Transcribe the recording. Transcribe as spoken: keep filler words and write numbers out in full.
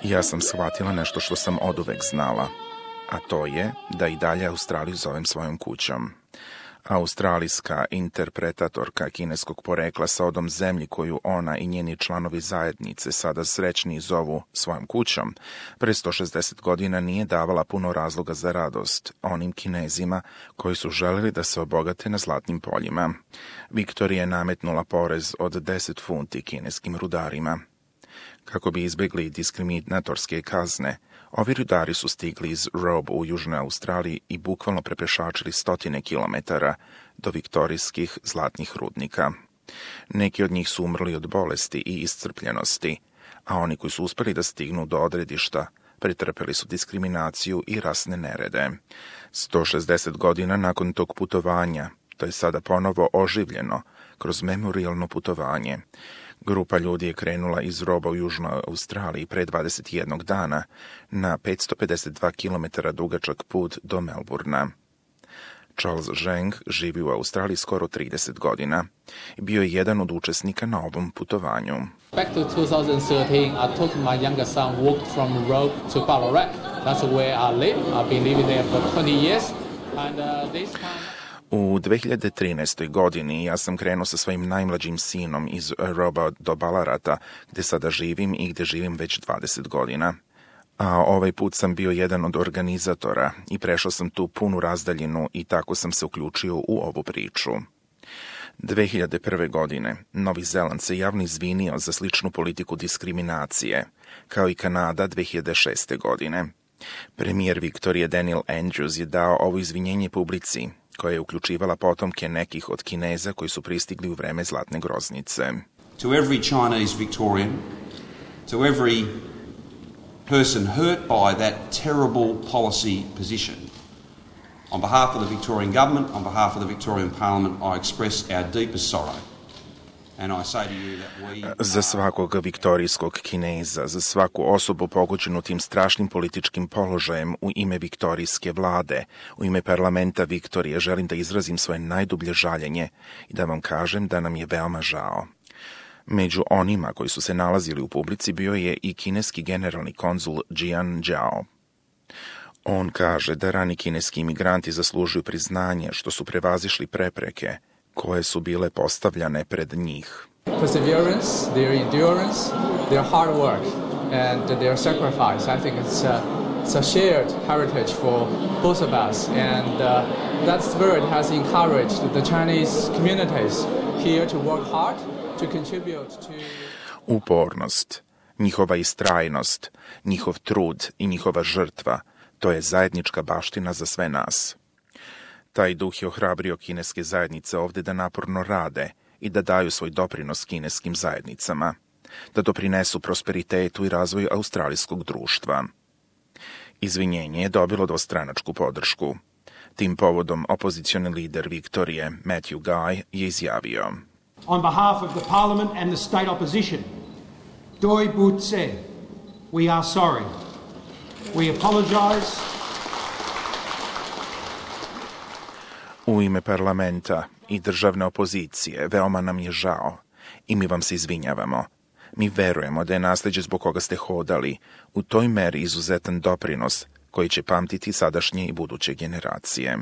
Ja sam shvatila nešto što sam oduvek znala, a to je da i dalje Australiju zovem svojom kućom. Australijska interpretatorka kineskog porekla sa odom zemlji koju ona i njeni članovi zajednice sada srećni zovu svojom kućom, pre sto šezdeset godina nije davala puno razloga za radost onim Kinezima koji su želeli da se obogate na zlatnim poljima. Viktorija je nametnula porez od deset funti kineskim rudarima. Kako bi izbjegli diskriminatorske kazne, ovi rudari su stigli iz Robe u Južnoj Australiji i bukvalno prepešačili stotine kilometara do viktorijskih zlatnih rudnika. Neki od njih su umrli od bolesti i iscrpljenosti, a oni koji su uspeli da stignu do odredišta pretrpeli su diskriminaciju i rasne nerede. sto šezdeset godina nakon tog putovanja, to je sada ponovo oživljeno kroz memorijalno putovanje. Grupa ljudi je krenula iz Roba u Južnoj Australiji pre dvadeset jednog dana na petsto pedeset dva kilometara dugačak put do Melburna. Charles Zheng živi u Australiji skoro trideset godina i bio je jedan od učesnika na ovom putovanju. Back to twenty thirteen, I took my younger son walked from Robe to Ballarat. That's where I live. I've been living there for twenty years. And uh, this time U dve hiljade trinaestoj. godini ja sam krenuo sa svojim najmlađim sinom iz Roba do Ballarata, gde sada živim i gde živim već dvadeset godina. A ovaj put sam bio jedan od organizatora i prešao sam tu punu razdaljinu i tako sam se uključio u ovu priču. dve hiljade prve. godine Novi Zeland se javno izvinio za sličnu politiku diskriminacije, kao i Kanada dve hiljade šeste. godine. Premijer Viktorije Daniel Andrews je dao ovo izvinjenje publici, koja je uključivala potomke nekih od Kineza koji su pristigli u vreme Zlatne groznice. To every Chinese Victorian, to every person hurt by that terrible policy position, on behalf of the Victorian government, on behalf of the Victorian Parliament, I express our deepest sorrow. Za svakog viktorijskog Kineza, za svaku osobu pogođenu tim strašnim političkim položajem u ime viktorijske vlade, u ime parlamenta Viktorije, želim da izrazim svoje najdublje žaljenje i da vam kažem da nam je veoma žao. Među onima koji su se nalazili u publici bio je i kineski generalni konzul Jian Jiao. On kaže da rani kineski imigranti zaslužuju priznanje što su prevazišli prepreke koje su bile postavljane pred njih. Perseverance, their endurance, their hard work and their sacrifice. I think it's a, it's a shared heritage for both of us, and uh, that spirit has encouraged the Chinese communities here to work hard to contribute to Upornost, njihova istrajnost, njihov trud i njihova žrtva, to je zajednička baština za sve nas. Taj duh je ohrabrio kineske zajednice ovde da naporno rade i da daju svoj doprinos kineskim zajednicama, da doprinesu prosperitetu i razvoju australijskog društva. Izvinjenje je dobilo dvostranačku podršku. Tim povodom opozicioni lider Viktorije, Matthew Guy, je izjavio: On behalf of the Parliament and the state opposition, Doi Bu Tse, we are sorry. We apologize. U ime parlamenta i državne opozicije veoma nam je žao i mi vam se izvinjavamo. Mi verujemo da je nasleđe zbog koga ste hodali u toj meri izuzetan doprinos koji će pamtiti sadašnje i buduće generacije.